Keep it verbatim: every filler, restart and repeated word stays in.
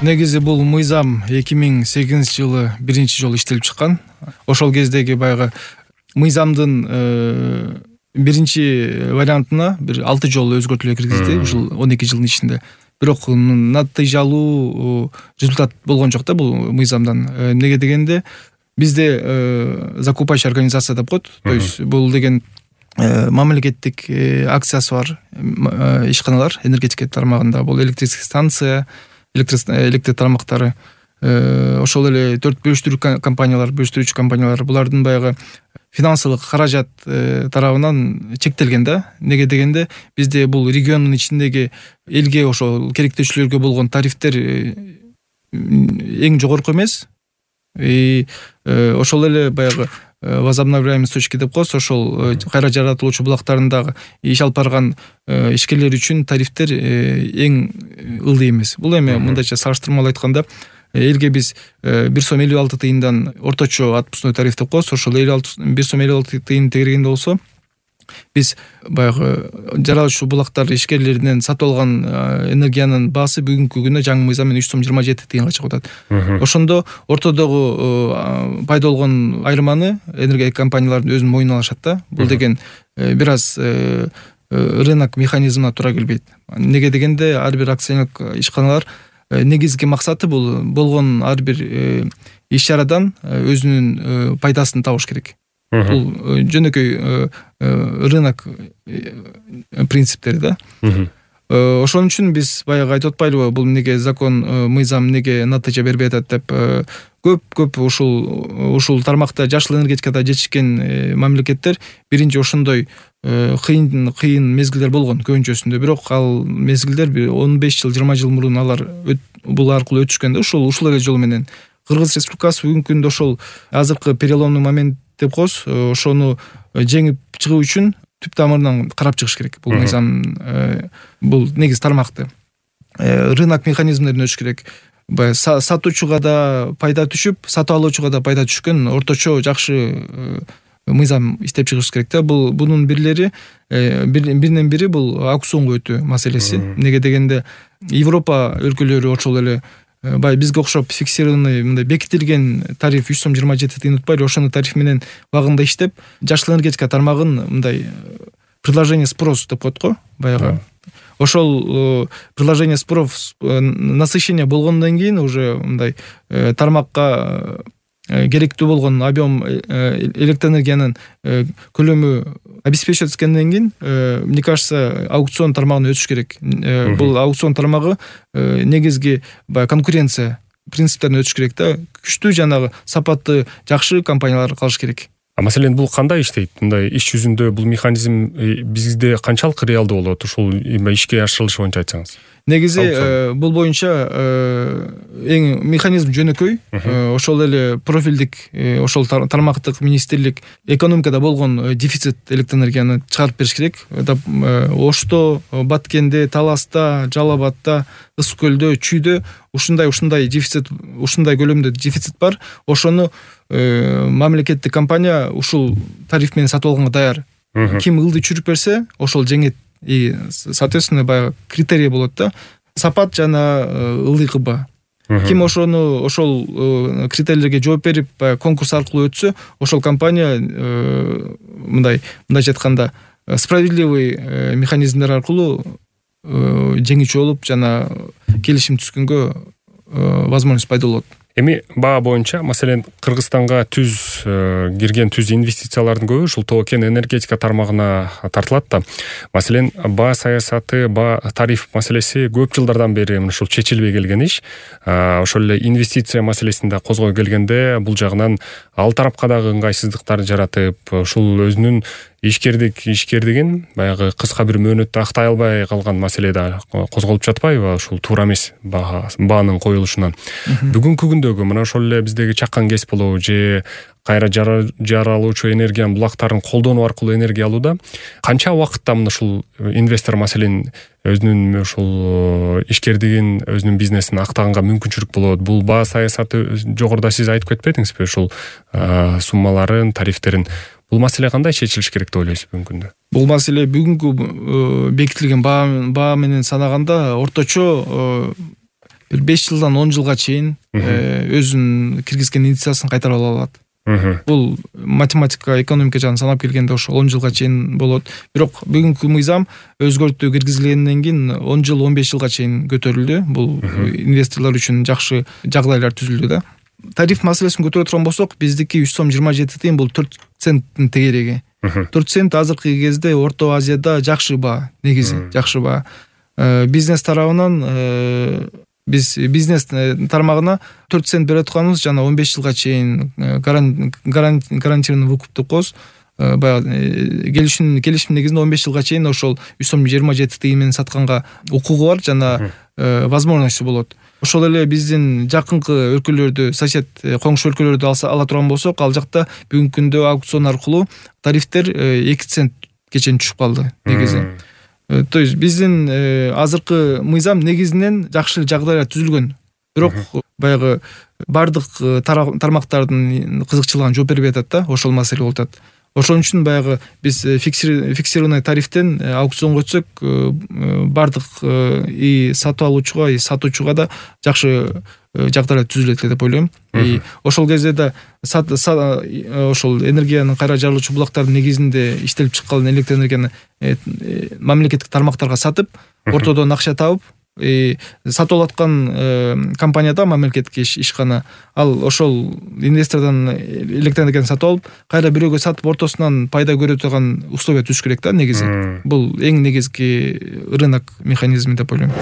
Негизи бул мыйзам эки миң сегизинчи жылы биринчи жолу иштелип чыккан. Ошол кездеги баягы мыйзамдын биринчи вариантына бир алты жолу өзгөртүүлөр киргизди ушул он эки жылдын ичинде. Бирок натыйжалуу результат болгон жок да бул мыйзамдан. Эмнеге дегенде бизде закупающий организация деп коет. То есть бул деген мамлекеттик акциясы бар ишканалар энергетика тармагында, бул электрический станция, электр тармактары, ошол эле төрт бөлүштүрүү компаниялар, бөлүштүрүүчү компаниялар, булардын баягы финансылык каражат тарабынан чектелген да. Неге дегенде бизде бул региондун ичиндеги элге ошол керектөөчүлөргө болгон тарифтер эң жогорку эмес. И ошол эле баягы возобновляемые источники деп коебуз, ошол кайра жаратылуучу булактарындагы иш алып барган ишкерлер үчүн тарифтер эң ылдый эмес. Бул эми мындайча салыштырмалуу айтканда элге биз бир сом элүү алты тыйындан орточо отпускной тариф деп коебуз. Ошол бир сом элүү алты тыйын тегергенде болсо биз баягы жаратылуучу булактар ишкерлеринен сатып алган энергиянын баасы бүгүнкү күндө жаңы мыйзам менен үч сом жыйырма жети тыйынга чыгып атат. Ошондо ортодогу пайда болгон айырманы энергия компаниялардын өзүнүн мойнуна алышат да. Бул деген бир аз рынок механизмине туура келбейт. Неге дегенде ар бир акционерлик ишканалар негизги максаты бул болгон ар бир иш чарадан өзүнүн пайдасын табыш керек. Бул жөнөкөй рынок принциптери да. Ошон үчүн биз баягы айтып атпайлыбы, бул эмнеге закон, мыйзам эмнеге натыйжа бербей атат деп. Көп-көп ушул ушул тармакта жашыл энергетикада жетишкен мамлекеттер биринчи ошондой кыйын кыйын мезгилдер болгон көбүнчөсүндө. Бирок ал мезгилдер бир он беш жыл, жыйырма жыл мурун алар бул аркылуу өтүшкөн да. Ушул ушул эле жол менен Кыргыз Республикасы бүгүнкү күндө ошол азыркы переломный момент деп коебуз, ошону жеңип чыгуу үчүн түп тамырынан карап чыгыш керек. Бул мыйзам, бул негизи тармакты рынок механизмдерин өтүш керек. Баягы сатуучуга да пайда түшүп, сатып алуучуга да пайда түшкөн орточо жакшы мыйзам иштеп чыгыш керек да. Бул бунун бирлери биринен бири бул аукционго өтүү маселеси. Неге дегенде Европа өлкөлөрү ошол эле бай бизге окшоп фиксированный мындай бекитилген тариф үч сом жыйырма жети тыйын утпайлы, ошону тариф менен убагында иштеп, жашыл энергетика тармагын мындай предложение спрос деп коет го, баягы. Ошол предложение спрос насыщение болгондон кийин уже мындай тармакка керектүү болгон объем электроэнергиянын көлөмү обеспечивать эткенден кийин, мне кажется, аукцион тармагына өтүш керек. Бул аукцион тармагы негизги конкуренция принциптерине өтүш керек да. Күчтүү жанагы сапаттуу жакшы компаниялар калыш керек. А маселен бул кандай иштейт? Мындай иш жүзүндө бул механизм бизде канчалык реалдуу болот? Ушул ишке ашырылышы боюнча айтсаңыз. Негизи бул боюнча эң механизм жөнөкөй. Ошол эле профилдик ошол тармактык министрлик экономикада болгон дефицит электроэнергияны чыгарып бериш керек. Ошто, Баткенде, Таласта, Жалал Абадта, Ысык көлдө, Чүйдө ушундай ушундай дефицит, ушундай көлөмдө дефицит бар. Ошону мамлекеттик компания ушул тариф менен сатып алганга даяр. Ким ылдый чүрүп берсе, ошол жеңет. И соответственно баягы критерий болот да. Сапат жана ылдый кылба. Ким ошону ошол критерийлерге жооп берип конкурс аркылуу өтсө, ошол компания мындай мындайча айтканда справедливый механизмдер аркылуу жеңүүчү болуп жана келишим түзгөнгө возможность пайда болот. Эми баа боюнча, маселен, Кыргызстанга түз кирген түз инвестициялардын көбү ушул токен энергетика тармагына тартылат да. Маселен, баа саясаты, баа тариф маселеси көп жылдардан бери ушул чечилбей келген иш. Ошол эле инвестиция маселесин да козгой келгенде бул жагынан ал тарапка дагы ыңгайсыздыктар жаратып, ушул өзүнүн ишкердик ишкердигин баягы кыска бир мөөнөттө актай албай калган маселе да козголуп жатпайбы? Ушул туура эмес баанын коюлушунан. Бүгүнкү күндөгү мына ошол эле биздеги чакан кес болобу же кайра жаралуучу энергиянын булактарын колдонуу аркылуу энергия алууда канча убакытта мына ушул инвестор маселен өзүнүн ушул ишкердигин, өзүнүн бизнесин актаганга мүмкүнчүлүк болот? Бул баа саясаты жогоруда сиз айтып кетпедиңизби? Ушул суммаларын, тарифтерин бул маселе кандай чечилиш керек деп ойлойсуз бүгүнкү күндө? Бул маселе бүгүнкү бекитилген баа баа менен санаганда орточо бир беш жылдан он жылга чейин өзүнүн киргизген инвестициясын кайтарып ала алат. Бул математика, экономика жагын санап келгенде ошо он жылга чейин болот. Бирок бүгүнкү мыйзам өзгөртүү киргизилгенден кийин он жыл он беш жылга чейин көтөрүлдү. Бул инвесторлор үчүн жакшы жагдайлар түзүлдү да. Тариф маселесин көтөрө турган болсок, биздики үч сом жыйырма жети тыйын бул төрт центтин тегереги. төрт цент азыркы кезде Орто Азияда жакшы баа, негизи жакшы баа. Бизнес тарабынан биз бизнес тармагына төрт цент бере атканыбыз жана он беш жылга чейин гарантированный выкуп деп коебуз. Баягы келишим келишим негизинде он беш жылга чейин ошол үч сом жыйырма жети тыйын менен сатканга укугу бар жана возможности болот. Ошол эле биздин жакынкы өлкөлөрдү, сосед коңшу өлкөлөрдү алса ала турган болсок, ал жакта бүгүнкү күндө аукцион аркылуу тарифтер эки центке чейин түшүп калды негизи. То есть биздин азыркы мыйзам негизинен жакшы жагдайлар түзүлгөн. Бирок баягы бардык тармактардын кызыкчылыгына жооп бербей атат да, ошол маселе болуп атат. Ошон үчүн баягы биз фиксированный тарифтен аукционго өтсөк, бардык и сатып алуучуга, и сатуучуга да жакшы жагдайлар түзүлөт деп ойлойм. И ошол кезде да ошол энергиянын кайра жарылуучу булактардын негизинде иштелип чыккан электр энергияны мамлекеттик тармактарга сатып, ортодон акча табып, сатып алаткан компанияда мамлекеттик ишкана ал ошол инвестордон электр энергияны сатып алып, кайра бирөөгө сатып ортосунан пайда көрө турган условия түзүш керек да негизи. Бул эң негизги рынок механизми деп ойлойм.